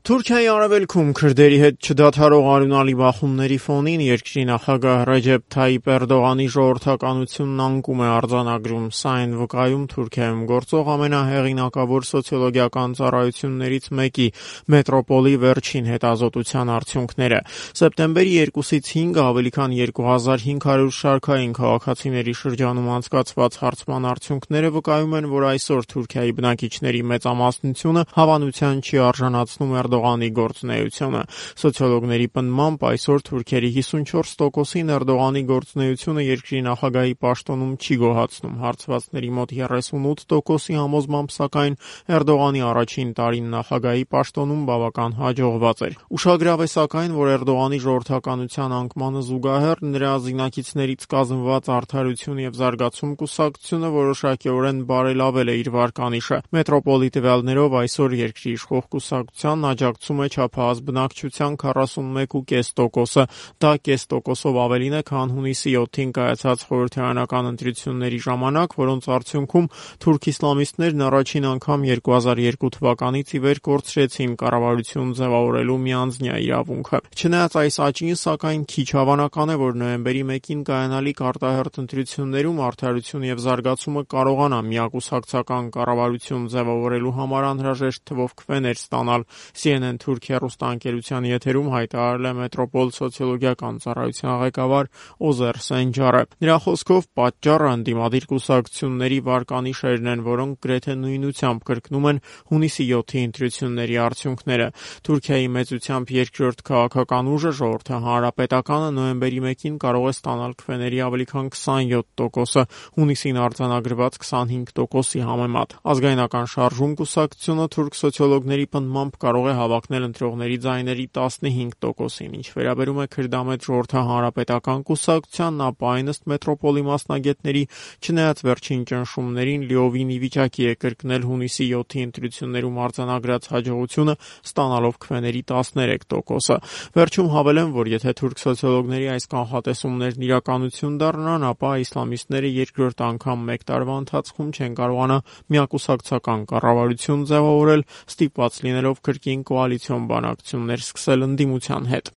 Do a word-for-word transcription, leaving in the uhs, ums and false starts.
Թուրքիայի արևելքում քրդերի հետ չդադարող արյունալի բախումների ֆոնին երկրի նախագահ Ռեջեփ Թայիփ Էրդողանի ժողովրդականությունն անկում է արձանագրում։ Սա այն վկայում Թուրքիայում գործող ամենահեղինակավոր սոցիոլոգիական ծառայություններից մեկի Մետրոպոլի վերջին հետազոտության արդյունքները։ Սեպտեմբերի երկուսից հինգը ավելի քան երկու հազար հինգ հարյուր շարքային քաղաքացիների շրջանում անցկացված հարցման արդյունքները վկայում են, որ այսօր Թուրքիայի բնակիչների մեծամասնությունը հավանության չի արժանացնում Էրդողանի գործունեությունը։ Սոցիոլոգների պնդմամբ այսօր թուրքերի հիսունչորս տոկոսին Էրդողանի գործունեությունը երկրի նախագահի պաշտոնում չի գոհացնում։ Հարցվածների մոտ երեսունութ տոկոսի համոզմամբ, սակայն Էրդողանի առաջին տարին նախագահի պաշտոնում բավական հաջողված էր։ Ուշագրավ է սակայն, որ Էրդողանի ժողովրդականության անկմանը զուգահեռ նրա զինակիցներից կազմված Արդարություն և զարգացում կուսակցությունը որոշակիորեն բարելավել է իր վարկանիշը։ Մետրոպոլի տվյալներով այսօր երկրի իշխող կուսակցությանն աջակցում է չափահաս բնակչության քառասունմեկ կόμμα պենս տոկոսը, դա կես տոկոսով ավելին է, քան հունիսի յոթին կայացած խորհրդարանական ընտրությունների ժամանակ, որոնց արդյունքում թուրք իսլամիստներն առաջին անգամ երկու հազար երկու թվականից ի վեր կորցրեցին կառավարություն ձևավորելու միանձնյա իրավունքը։ Չնայած այս աճին, սակայն քիչ հավանական է, որ նոյեմբերի մեկին կայանալիք արտահերթ ընտրություններում Արդարություն և զարգացումը կարողանա միակուսակցական կառավարություն ձևավորելու համար անհրաժեշտ թվով քվեներ ստանալ։ Սի Են Են Թուրք հեռուստաընկերության եթերում հայտարարել է Մետրոպոլ սոցիոլոգիական ծառայության ղեկավար Օզեր Սենջարը։ Նրա խոսքով պատճառը ընդդիմադիր կուսակցությունների վարկանիշերն են, որոնք գրեթե նույնությամբ կրկնում են հունիսի յոթի ընտրությունների արդյունքները։ Թուրքիայի մեծությամբ երկրորդ քաղաքական ուժը Ժողովրդի հանրապետականը նոյեմբերի մեկին կարող է ստանալ քվեների ավելի քան քսանյոթ տոկոսը, հունիսին արձանագրված քսանհինգ տոկոսի համեմատ։ Ազգայնական շարժում կուսակցությունը թուրք սոցիոլոգների պնդմամբ կարող է հավակնել ընտրողների ձայների տասնհինգ տոկոսին։ Ինչ վերաբերում է քրդամետ Ժողովրդի հանրապետական կուսակցությանն, ապա այն ըստ Մետրոպոլի մասնագետների, չնայած վերջին ճնշումներին, լիովին ի վիճակի է կրկնել հունիսի յոթի ընտրություններում արձանագրած հաջողությունը, ստանալով քվեների տասներեք տոկոսը։ Վերջում հավելեմ, որ եթե թուրք սոցիոլոգների այս կանխատեսումներն իրականություն դառնան, ապա իսլամիստները երկրորդ անգամ մեկ տարվա ընթացքում չեն կարողանա միակուսակցական կառավարություն ձևավորել, ստիպված լինելով կրկին կոալիցիոն բանակցություններ սկսել ընդդիմության հետ։